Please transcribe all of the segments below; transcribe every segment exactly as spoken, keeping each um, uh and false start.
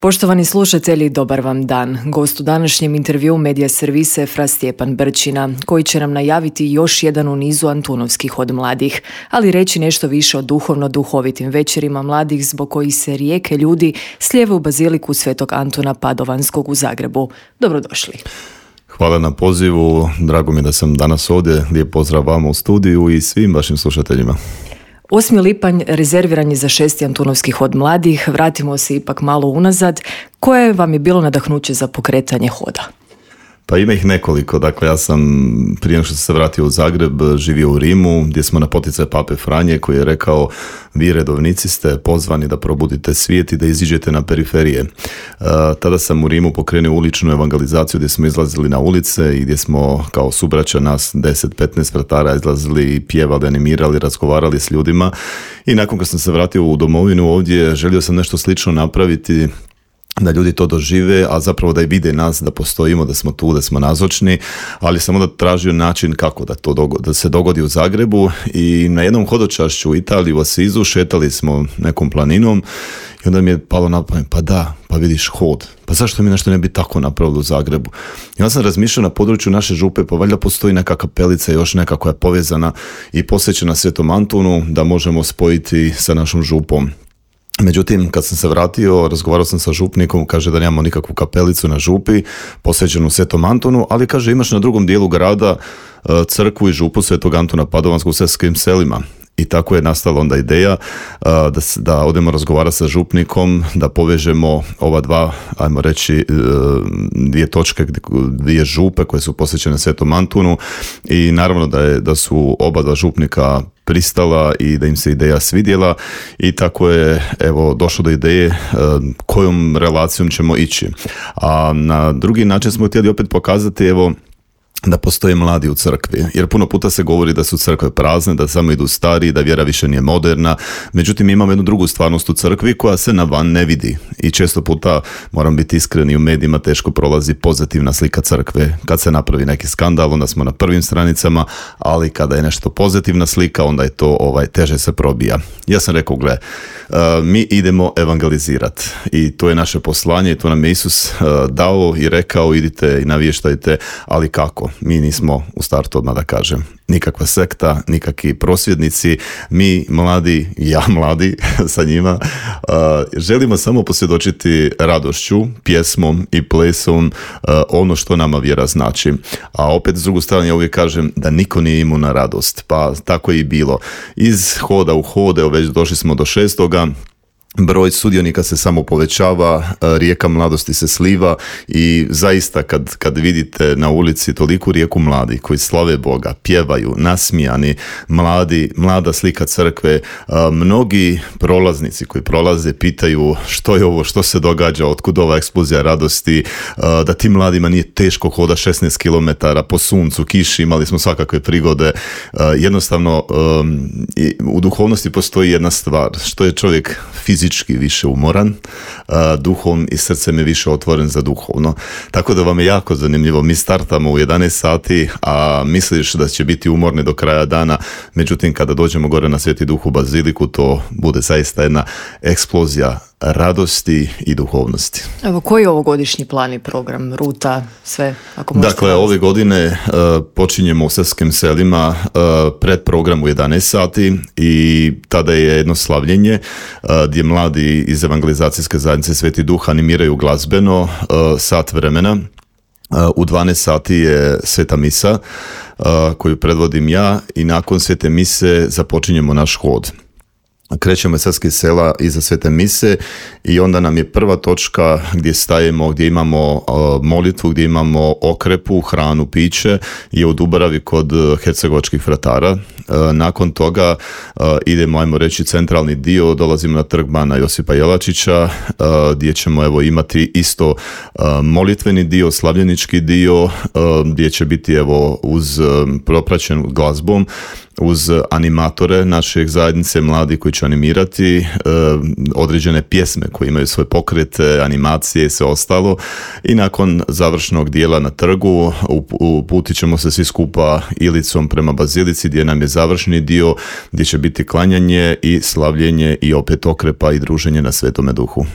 Poštovani slušatelji, dobar vam dan. Gost u današnjem intervjuu medija servisa je fra Stjepan Brčina, koji će nam najaviti još jedan u nizu Antunovskih od mladih, ali reći nešto više o duhovno-duhovitim večerima mladih zbog kojih se rijeke ljudi slijeve u baziliku Svetog Antuna Padovanskog u Zagrebu. Dobrodošli. Hvala na pozivu, drago mi da sam danas ovdje, lijep pozdrav vama u studiju i svim vašim slušateljima. osmi lipanj rezerviran je za šesti Antunovskih od mladih. Vratimo se ipak malo unazad. Koje vam je bilo nadahnuće za pokretanje hoda? Pa ima ih nekoliko. Dakle, ja sam prije nego što sam se vratio u Zagreb živio u Rimu, gdje smo na poticaj Pape Franje koji je rekao: vi redovnici ste pozvani da probudite svijet i da iziđete na periferije. Uh, tada sam u Rimu pokrenuo uličnu evangelizaciju gdje smo izlazili na ulice i gdje smo kao subraća nas deset petnaest fratara izlazili i pjevali, animirali, razgovarali s ljudima. I nakon kad sam se vratio u domovinu ovdje, želio sam nešto slično napraviti, da ljudi to dožive, a zapravo da i vide nas, da postojimo, da smo tu, da smo nazočni, ali sam onda tražio način kako da to dogodi, da se dogodi u Zagrebu. I na jednom hodočašću u Italiji, u Asizu, šetali smo nekom planinom i onda mi je palo na pamet, pa da, pa vidiš hod, pa zašto mi nešto ne bi tako napravili u Zagrebu? I onda sam razmišljao na području naše župe, pa valjda postoji neka kapelica još neka koja je povezana i posvećena Svetom Antunu, da možemo spojiti sa našom župom. Međutim, kad sam se vratio, razgovarao sam sa župnikom, kaže da nemamo nikakvu kapelicu na župi posvećenu Svetom Antunu, ali kaže imaš na drugom dijelu grada crkvu i župu Svetog Antuna Padovanskog u Sesvetskim selima. I tako je nastala onda ideja da, da odemo razgovarati sa župnikom, da povežemo ova dva, ajmo reći, dvije točke, dvije župe koje su posvećene Svetom Antunu, i naravno da, je, da su oba dva župnika pristala i da im se ideja svidjela, i tako je evo došlo do ideje kojom relacijom ćemo ići. A na drugi način smo htjeli opet pokazati evo da postoje mladi u crkvi, jer puno puta se govori da su crkve prazne, da samo idu stari, da vjera više nije moderna. Međutim, imamo jednu drugu stvarnost u crkvi koja se na van ne vidi i često puta, moram biti iskreni, u medijima teško prolazi pozitivna slika crkve. Kad se napravi neki skandal, onda smo na prvim stranicama, ali kada je nešto pozitivna slika, onda je to ovaj, teže se probija. Ja sam rekao, gle, uh, mi idemo evangelizirati i to je naše poslanje i to nam je Isus uh, dao i rekao: idite i navještajte, ali kako? Mi nismo u startu, odmah da kažem, nikakva sekta, nikakvi prosvjednici. Mi mladi, ja mladi sa njima, uh, želimo samo posvjedočiti radošću, pjesmom i plesom uh, ono što nama vjera znači. A opet s drugu strane ja uvijek kažem da niko nije imun na radost, pa tako je i bilo. Iz hoda u hode, već došli smo do šestoga. Broj sudionika se samo povećava, rijeka mladosti se sliva i zaista kad, kad vidite na ulici toliku rijeku mladih koji slave Boga, pjevaju, nasmijani, mladi, mlada slika crkve, mnogi prolaznici koji prolaze pitaju što je ovo, što se događa, otkud ova eksplozija radosti, da tim mladima nije teško hoda šesnaest kilometara po suncu, kiši, imali smo svakakve prigode. Jednostavno u duhovnosti postoji jedna stvar, što je čovjek fizički više umoran, duhom i srcem je više otvoren za duhovno. Tako da vam je jako zanimljivo. Mi startamo u jedanaest sati, a misliš da će biti umorni do kraja dana, međutim kada dođemo gore na Sveti Duh u baziliku, to bude zaista jedna eksplozija radosti i duhovnosti. Evo, koji je ovogodišnji plan i program, ruta, sve? Ako dakle, ove godine uh, počinjemo u Sesvetskim selima uh, pred program u jedanaest sati i tada je jedno slavljenje uh, gdje mladi iz evangelizacijske zajednice Sveti Duh animiraju glazbeno uh, sat vremena. Uh, u dvanaest sati je Sveta misa uh, koju predvodim ja i nakon Svete mise započinjemo naš hod. Krećemo iz Sesvetskih sela iza Svete mise i onda nam je prva točka gdje stajemo, gdje imamo uh, molitvu, gdje imamo okrepu, hranu, piće, je u Dubravi kod hercegovačkih fratara. Uh, nakon toga uh, idemo, ajmo reći, centralni dio, dolazimo na trg Bana Josipa Jelačića, uh, gdje ćemo evo imati isto uh, molitveni dio, slavljenički dio, uh, gdje će biti evo uz um, propraćen glazbom, uz animatore naših zajednice, mladi koji će animirati e, određene pjesme koje imaju svoje pokrete, animacije i sve ostalo. I nakon završnog dijela na trgu uputit ćemo se svi skupa Ilicom prema bazilici gdje nam je završni dio, gdje će biti klanjanje i slavljenje i opet okrepa i druženje na Svetome Duhu.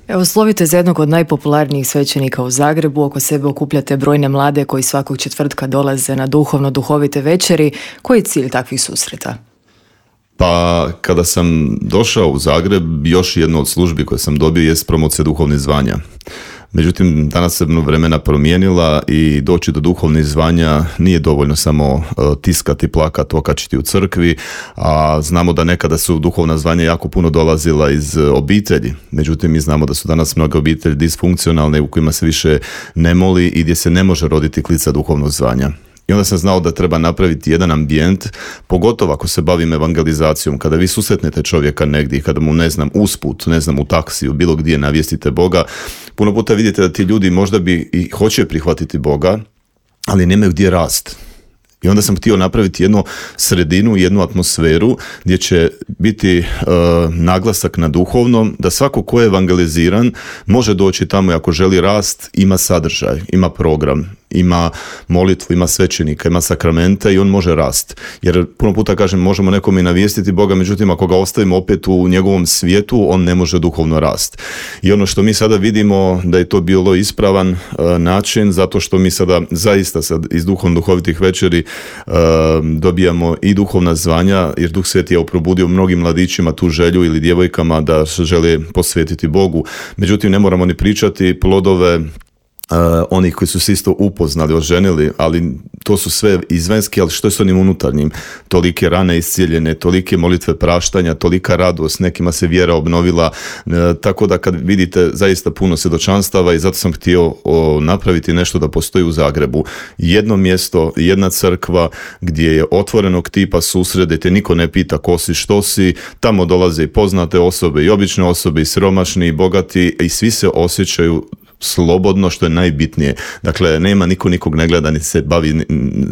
Evo, slovite za jednog od najpopularnijih svećenika u Zagrebu, oko sebe okupljate brojne mlade koji svakog četvrtka dolaze na duhovno-duhovite večeri. Koji je cilj takvih susreta? Pa kada sam došao u Zagreb, još jedno od službi koje sam dobio jest promocija duhovnih zvanja. Međutim, danas se vremena promijenila i doći do duhovnih zvanja nije dovoljno samo tiskati, plakati, okačiti u crkvi, a znamo da nekada su duhovna zvanja jako puno dolazila iz obitelji. Međutim, mi znamo da su danas mnoge obitelji disfunkcionalne u kojima se više ne moli i gdje se ne može roditi klica duhovnog zvanja. I onda sam znao da treba napraviti jedan ambijent, pogotovo ako se bavim evangelizacijom, kada vi susretnete čovjeka negdje, kada mu, ne znam, usput, ne znam, u taksiju, bilo gdje navijestite Boga, puno puta vidite da ti ljudi možda bi i hoće prihvatiti Boga, ali nemaju gdje rast. I onda sam htio napraviti jednu sredinu, jednu atmosferu gdje će biti uh, naglasak na duhovnom, da svako ko je evangeliziran može doći tamo i ako želi rast, ima sadržaj, ima program, ima molitvu, ima svećenika, ima sakramenta i on može rast. Jer puno puta kažem, možemo nekom i navijestiti Boga, međutim ako ga ostavimo opet u njegovom svijetu, on ne može duhovno rast. I ono što mi sada vidimo da je to bilo ispravan uh, način, zato što mi sada zaista sad iz duhovno duhovitih večeri uh, dobijamo i duhovna zvanja, jer Duh Sveti je probudio mnogim mladićima tu želju ili djevojkama da se žele posvetiti Bogu. Međutim, ne moramo ni pričati plodove Uh, onih koji su se isto upoznali, oženili, ali to su sve izvanjski, ali što je s onim unutarnjim? Tolike rane iscijeljene, tolike molitve praštanja, tolika radost, nekima se vjera obnovila, uh, tako da kad vidite zaista puno svjedočanstava i zato sam htio o, napraviti nešto da postoji u Zagrebu. Jedno mjesto, jedna crkva gdje je otvorenog tipa susrede, te niko ne pita ko si, što si, tamo dolaze i poznate osobe, i obične osobe, i siromašni, i bogati, i svi se osjećaju slobodno, što je najbitnije. Dakle, nema niko nikog ne gleda, ni se bavi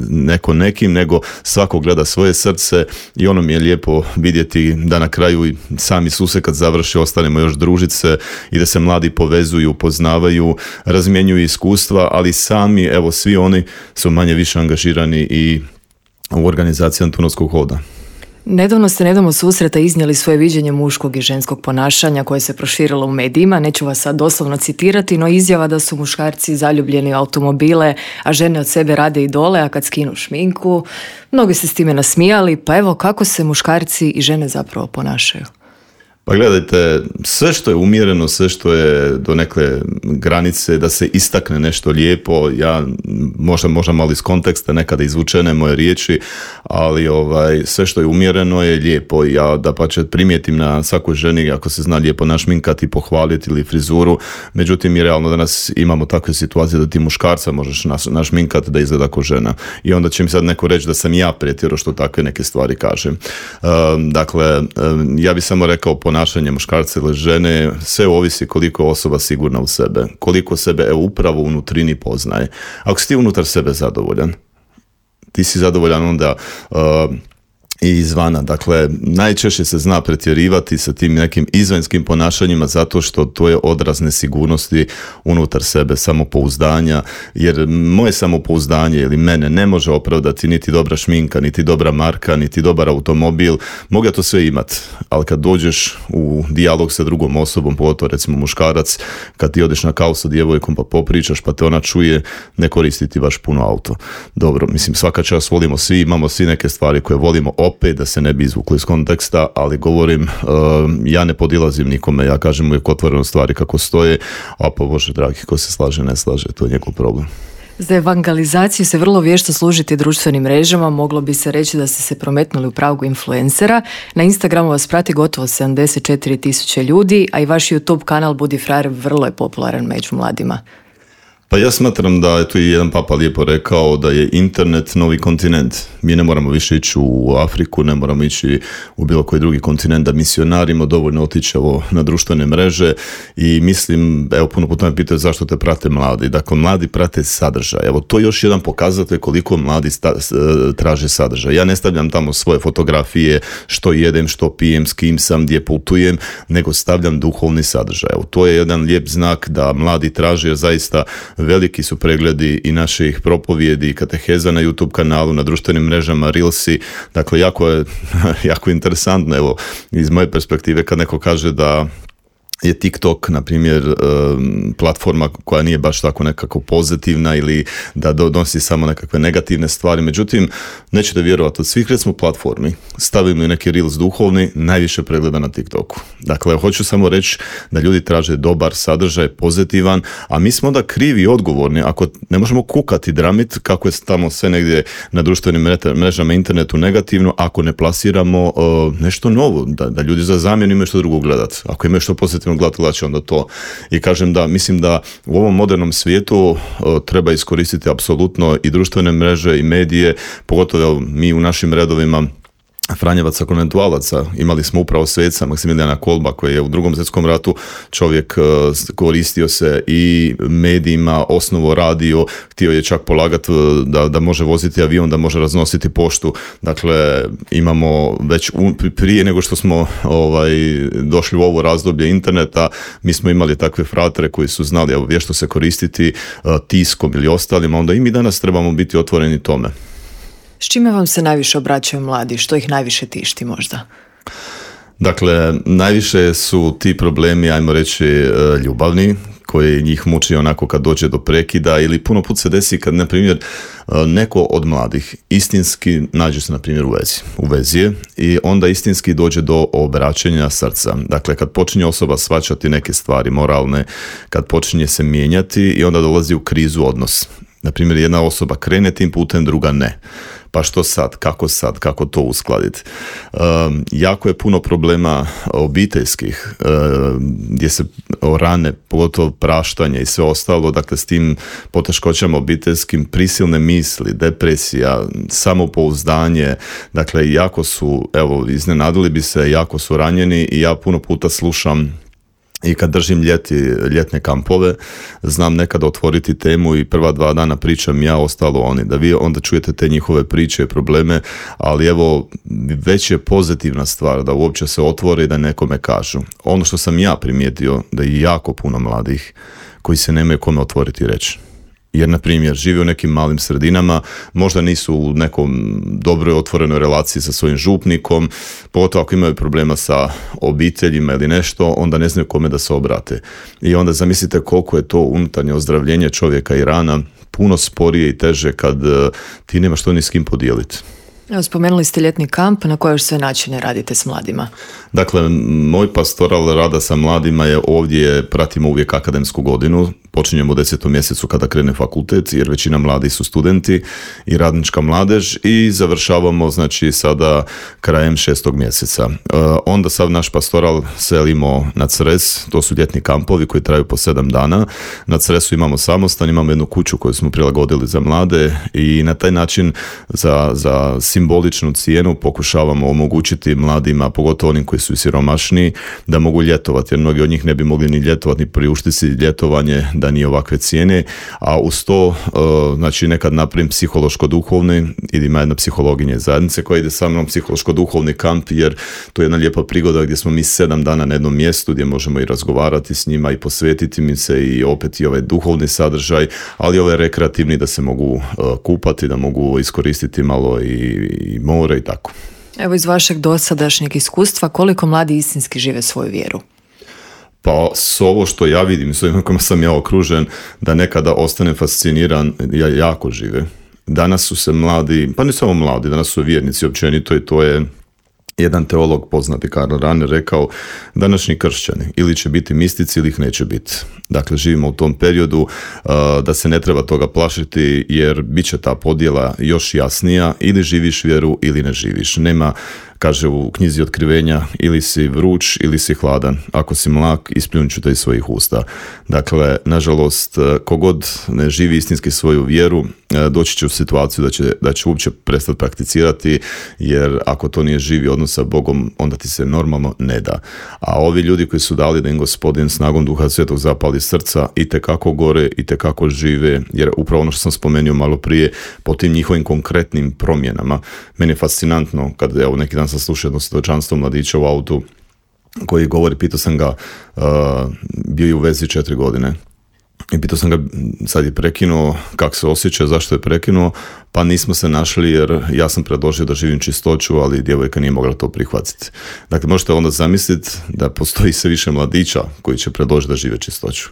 neko nekim, nego svako gleda svoje srce i ono mi je lijepo vidjeti da na kraju i sami Isuse kad završi ostanemo još družiti se i da se mladi povezuju, poznavaju, razmjenjuju iskustva, ali sami, evo, svi oni su manje više angažirani i u organizaciji Antunovskog hoda. Nedavno ste nedavno susreta iznijeli svoje viđenje muškog i ženskog ponašanja koje se proširilo u medijima. Neću vas sad doslovno citirati, no izjava da su muškarci zaljubljeni u automobile, a žene od sebe rade idole, a kad skinu šminku, mnogi se s time nasmijali. Pa evo, kako se muškarci i žene zapravo ponašaju? Pa gledajte, sve što je umjereno, sve što je do neke granice da se istakne nešto lijepo, ja možda, možda malo iz konteksta nekada izvučene moje riječi, ali ovaj, sve što je umjereno je lijepo. Ja da pa će primijetim na svakoj ženi ako se zna lijepo našminkati, pohvaliti ili frizuru, međutim i realno danas imamo takve situacije da ti muškarca možeš našminkati da izgleda kao žena. I onda će mi sad neko reći da sam ja pretjerao što takve neke stvari kažem. Um, dakle, um, ja bih samo rekao ponašanje muškarca ili žene, sve ovisi koliko je osoba sigurna u sebe, koliko sebe evo, upravo u nutrini poznaje. Ako si ti unutar sebe zadovoljan, ti si zadovoljan onda uh, i izvana. Dakle, najčešće se zna pretjerivati sa tim nekim izvanjskim ponašanjima zato što to je odraz nesigurnosti unutar sebe, samopouzdanja, jer moje samopouzdanje ili mene ne može opravdati niti dobra šminka, niti dobra marka, niti dobar automobil. Mogu ja to sve imat, ali kad dođeš u dijalog sa drugom osobom, pogotovo recimo muškarac, kad ti odeš na kavu sa djevojkom pa popričaš pa te ona čuje, ne koristi ti baš puno auto. Dobro, mislim svaka čast volimo svi, imamo svi neke stvari koje volimo, opet da se ne bi izvukli iz konteksta, ali govorim, uh, ja ne podilazim nikome, ja kažem uvijek otvoreno stvari kako stoje, a pa Bože dragi, ko se slaže, ne slaže, to je njegov problem. Za evangelizaciju se vrlo vješto služiti društvenim mrežama, moglo bi se reći da ste se prometnuli u pragu influencera. Na Instagramu vas prati gotovo sedamdeset četiri tisuće ljudi, a i vaš YouTube kanal Budi frajer vrlo je popularan među mladima. Pa ja smatram da je tu i jedan papa lijepo rekao da je internet novi kontinent. Mi ne moramo više ići u Afriku, ne moramo ići u bilo koji drugi kontinent da misionarimo, dovoljno otići na društvene mreže i mislim, evo puno puta me pitaju zašto te prate mladi. Dakle, mladi prate sadržaj. Evo, to je još jedan pokazatelj koliko mladi sta, traže sadržaj. Ja ne stavljam tamo svoje fotografije, što jedem, što pijem, s kim sam, gdje putujem, nego stavljam duhovni sadržaj. Evo, to je jedan lijep znak da mladi traže, jer zaista veliki su pregledi i naših propovijedi i kateheza na YouTube kanalu, na društvenim mrežama, Reelsi. Dakle, jako je jako interesantno, evo, iz moje perspektive kad neko kaže da je TikTok, na primjer, platforma koja nije baš tako nekako pozitivna ili da donosi samo nekakve negativne stvari. Međutim, nećete vjerovati, od svih recimo platformi stavimo i neki reels duhovni, najviše pregleda na TikToku. Dakle, hoću samo reći da ljudi traže dobar sadržaj, pozitivan, a mi smo onda krivi i odgovorni ako ne možemo kukati dramit kako je tamo sve negdje na društvenim mrežama, internetu negativno, ako ne plasiramo uh, nešto novo, da, da ljudi za zamjenu imaju što drugo gledati. Ako imaju što pozitivno gledati, gledat će onda to. I kažem da, mislim da u ovom modernom svijetu uh, treba iskoristiti apsolutno i društvene mreže i medije, pogotovo mi u našim redovima Franjevaca konventualaca. Imali smo upravo sveca Maksimilijana Kolba koji je u drugom svjetskom ratu čovjek koristio se i medijima, osnovo radio, htio je čak polagati da, da može voziti avion, da može raznositi poštu. Dakle, imamo već prije nego što smo ovaj, došli u ovo razdoblje interneta, mi smo imali takve fratere koji su znali evo, vješto se koristiti tiskom ili ostalima, onda i mi danas trebamo biti otvoreni tome. S čime vam se najviše obraćaju mladi? Što ih najviše tišti možda? Dakle, najviše su ti problemi, ajmo reći, ljubavni, koji njih muči onako kad dođe do prekida ili puno put se desi kad, na primjer, neko od mladih istinski nađe se, na primjer, u vezi. U vezi je i onda istinski dođe do obraćanja srca. Dakle, kad počinje osoba shvaćati neke stvari moralne, kad počinje se mijenjati i onda dolazi u krizu odnos. Na primjer, jedna osoba krene tim putem, druga ne. Pa što sad? Kako sad? Kako to uskladiti? Um, jako je puno problema obiteljskih, um, gdje se rane, pogotovo praštanje i sve ostalo, dakle s tim poteškoćama obiteljskim, prisilne misli, depresija, samopouzdanje, dakle jako su, evo, iznenadili bi se, jako su ranjeni i ja puno puta slušam i kad držim ljeti, ljetne kampove, znam nekada otvoriti temu i prva dva dana pričam ja, ostalo oni, da vi onda čujete te njihove priče i probleme, ali evo, već je pozitivna stvar da uopće se otvore i da nekome kažu. Ono što sam ja primijetio, da je jako puno mladih koji se nemaju kome otvoriti i reći. Jer, na primjer, žive u nekim malim sredinama, možda nisu u nekom dobroj otvorenoj relaciji sa svojim župnikom, pogotovo ako imaju problema sa obiteljima ili nešto, onda ne znaju kome da se obrate. I onda zamislite koliko je to unutarnje ozdravljenje čovjeka i rana puno sporije i teže kad ti nemaš to ni s kim podijeliti. Evo, spomenuli ste ljetni kamp, na koje sve načine radite s mladima? Dakle, moj pastoral rada sa mladima je ovdje, pratimo uvijek akademsku godinu, počinjemo u desetom mjesecu kada krene fakultet, jer većina mladih su studenti i radnička mladež i završavamo, znači, sada krajem šestog mjeseca. E, onda sad naš pastoral selimo na Cres, to su ljetni kampovi koji traju po sedam dana. Na Cresu imamo samostan, imamo jednu kuću koju smo prilagodili za mlade i na taj način za, za simboličnu cijenu pokušavamo omogućiti mladima, pogotovo onim koji su siromašniji, da mogu ljetovati, jer mnogi od njih ne bi mogli ni ljetovati, ni priuštiti si ljetovanje da nije ovakve cijene, a uz to, uh, znači, nekad napravim psihološko-duhovni, ili ima jedna psihologinja zajednice koja ide sa mnom, psihološko-duhovni kamp, jer to je jedna lijepa prigoda gdje smo mi sedam dana na jednom mjestu, gdje možemo i razgovarati s njima i posvetiti mi se i opet i ovaj duhovni sadržaj, ali ovaj rekreativni da se mogu uh, kupati, da mogu iskoristiti malo i, i more i tako. Evo, iz vašeg dosadašnjeg iskustva, koliko mladi istinski žive svoju vjeru? Pa s ovo što ja vidim, s ovim kojima sam ja okružen, da nekada ostane fasciniran, ja jako žive. Danas su se mladi, pa ne samo mladi, danas su vjernici općenito i to je jedan teolog poznati, Karl Rahner, rekao, današnji kršćani ili će biti mistici ili ih neće biti. Dakle, živimo u tom periodu uh, da se ne treba toga plašiti, jer bit će ta podjela još jasnija, ili živiš vjeru ili ne živiš. Nema, kaže u knjizi Otkrivenja, ili si vruć ili si hladan. Ako si mlak, ispljunut ću te iz svojih usta. Dakle, nažalost, kogod ne živi istinski svoju vjeru, doći će u situaciju da će, da će uopće prestati prakticirati, jer ako to nije živi odnos sa Bogom, onda ti se normalno ne da. A ovi ljudi koji su dali da im Gospodin snagom Duha Svetog zapali srca, itekako gore, itekako žive, jer upravo ono što sam spomenuo malo prije, po tim njihovim konkretnim promjenama. Meni je fascinantno kad, evo, neki dan sam slušao jedno svjedočanstvo mladića u autu koji govori, pitao sam ga, uh, bio je u vezi četiri godine I pitao sam ga, sad je prekinuo, kako se osjeća, zašto je prekinuo, pa nismo se našli jer ja sam predložio da živim čistoću, ali djevojka nije mogla to prihvatiti. Dakle, možete onda zamisliti da postoji sve više mladića koji će predložiti da žive čistoću.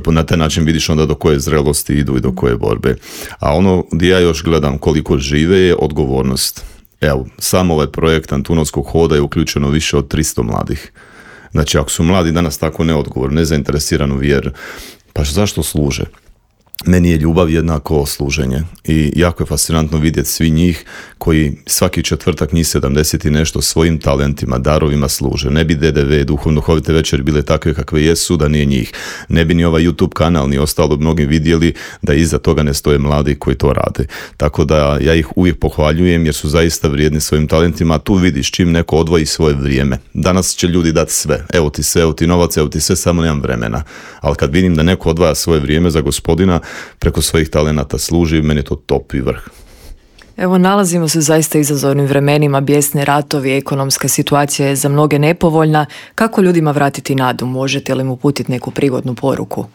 Na taj način vidiš onda do koje zrelosti idu i do koje borbe. A ono gdje ja još gledam koliko žive je odgovornost. Evo, sam ovaj projekt Antunovskog hoda je uključeno više od tristo mladih. Znači, ako su mladi danas tako neodgovorni, nezainteresirani u vjeru, pa zašto služe? Meni je ljubav jednako služenje i jako je fascinantno vidjeti svi njih koji svaki četvrtak, njih sedamdeset i nešto, svojim talentima, darovima služe. Ne bi D D V, duhovno-duhovite večeri bile takve kakve jesu da nije njih. Ne bi ni ovaj YouTube kanal ni ostalo mnogi vidjeli da iza toga ne stoje mladi koji to rade. Tako da ja ih uvijek pohvaljujem jer su zaista vrijedni svojim talentima. Tu vidiš čim neko odvoji svoje vrijeme. Danas će ljudi dati sve. Evo ti sve, evo ti novac, evo ti sve, samo nemam vremena. Ali kad vidim da neko odvaja svoje vrijeme za Gospodina, preko svojih talenata služi, meni je to top i vrh. Evo, nalazimo se u zaista izazovnim vremenima, bijesni ratovi, ekonomska situacija je za mnoge nepovoljna. Kako ljudima vratiti nadu? Možete li mu uputiti neku prigodnu poruku?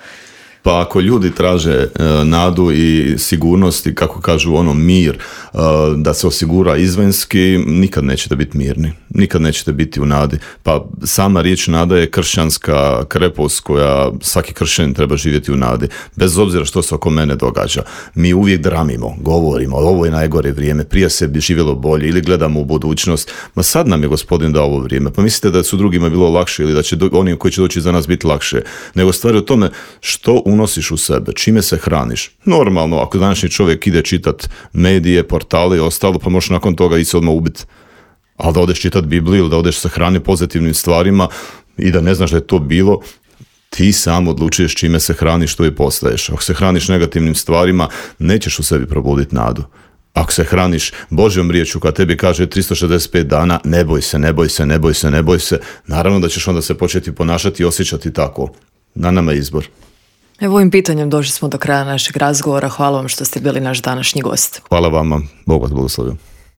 Pa ako ljudi traže e, nadu i sigurnost i kako kažu ono mir, e, da se osigura izvanjski, nikad nećete biti mirni. Nikad nećete biti u nadi. Pa sama riječ nada je kršćanska krepost koja svaki kršćanin treba živjeti u nadi. Bez obzira što se oko mene događa. Mi uvijek dramimo, govorimo, ovo je najgore vrijeme, prije se bi živjelo bolje ili gledamo u budućnost. Ma sad nam je Gospodin dao ovo vrijeme. Pa mislite da su drugima bilo lakše ili da će do, oni koji će doći za nas biti lakše. Nego stvari o tome što unosiš u sebe, čime se hraniš. Normalno, ako današnji čovjek ide čitat medije, portale i ostalo, pa možeš nakon toga i se odmah ubiti. Ali da odeš čitat Bibliju ili da odeš se hrani pozitivnim stvarima i da ne znaš da je to bilo, ti sam odlučuješ čime se hraniš, što i postaješ. Ako se hraniš negativnim stvarima, nećeš u sebi probuditi nadu. Ako se hraniš Božjom riječju koja tebi kaže tristo šezdeset pet dana, ne boj se, ne boj se, ne boj se, ne boj se, naravno da ćeš onda se početi ponašati i osjećati tako. Na nama je izbor. Evo, ovim pitanjem došli smo do kraja našeg razgovora. Hvala vam što ste bili naš današnji gost. Hvala vama. Bog vas blagoslovio.